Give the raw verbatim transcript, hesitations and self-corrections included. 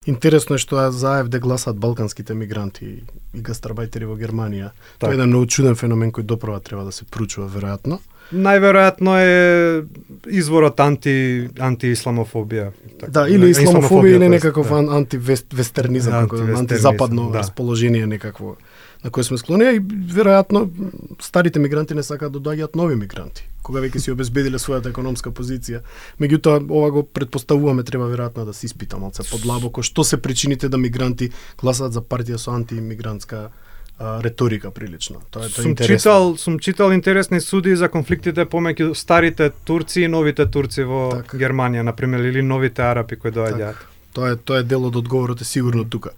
Интересно е што за АФД гласаат балканските мигранти и гастарбајтери во Германија. Так. Тоа е еден многу чуден феномен кој доправа треба да се проучува веројатно. Најверојатно е изворот анти антиисламофобија. Так, да, или исламофобија или некаков да. антивестернизам, Антивестернизам, антизападно да. расположение некакво на кое сме склони, и веројатно старите мигранти не сакаат да доаѓаат нови мигранти, кога веќе си обезбедиле својата економска позиција. Меѓутоа, ова го предпоставуваме, треба веројатно да се испита малце подлабоко што се причините да мигранти гласаат за партија со антиимигрантска а, реторика прилично. Тоа е тоа сум интересно. читал, сум читал интересни суди за конфликтите помеѓу старите турци и новите турци во така. Германија, на пример, или новите арапи кои доаѓаат. Тоа е тоа е дел од одговорот е сигурно тука.